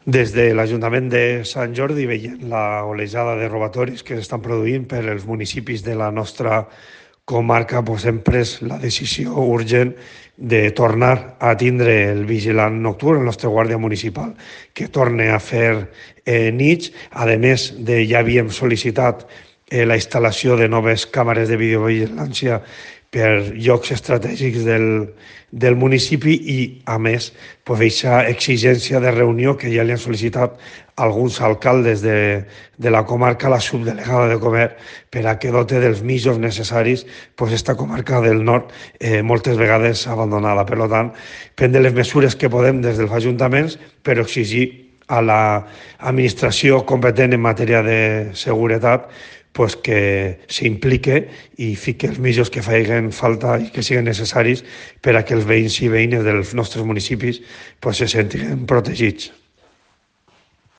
Des de l'Ajuntament de Sant Jordi veient la olejada de robatoris que s'estan produint per els municipis de la nostra comarca, doncs hem pres la decisió urgent de tornar a tindre el vigilant nocturn, el nostre guàrdia municipal, que torne a fer nits. A més, ja havíem sol·licitat la instal·lació de noves càmeres de videovigilància per llocs estratègics del municipi i, a més, aquesta exigència de reunió que ja li han sol·licitat alguns alcaldes de la comarca a la subdelegada de comerç per a que dote dels mitjans necessaris esta comarca del nord moltes vegades abandonada. Per tant, prendre les mesures que podem des dels ajuntaments, però exigir a l'administració competent en matèria de seguretat que s'implique i fique els mitjans que facin falta i que siguin necessaris per a que els veïns i veïnes dels nostres municipis se sentin protegits.